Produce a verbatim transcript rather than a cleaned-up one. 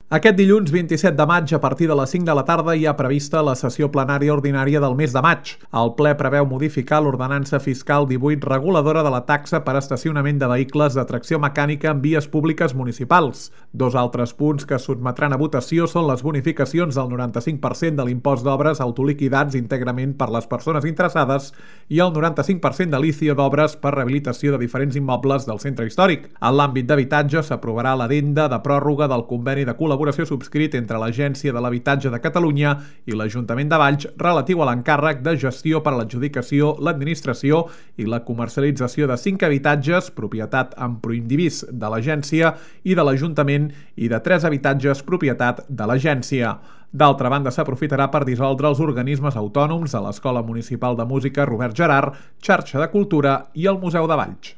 Aquest dilluns vint-i-set de maig, a partir de les cinc de la tarda, hi ha prevista la sessió plenària ordinària del mes de maig. El ple preveu modificar l'ordenança fiscal divuit reguladora de la taxa per estacionament de vehicles de tracció mecànica en vies públiques municipals. Dos altres punts que sotmetran a votació són les bonificacions del noranta-cinc per cent de l'impost d'obres autoliquidats íntegrament per les persones interessades i el noranta-cinc per cent de l'I C I O d'obres per rehabilitació de diferents immobles del centre històric. En l'àmbit d'habitatge s'aprovarà l'addenda de pròrroga del conveni de col·laboració subscrit entre l'Agència de l'Habitatge de Catalunya i l'Ajuntament de Valls relatiu a l'encàrrec de gestió per a l'adjudicació, l'administració i la comercialització de cinc habitatges, propietat en proindivís de l'Agència i de l'Ajuntament, i de tres habitatges, propietat de l'Agència. D'altra banda, s'aprofitarà per dissoldre els organismes autònoms de l'Escola Municipal de Música Robert Gerhard, Xarxa de Cultura i el Museu de Valls.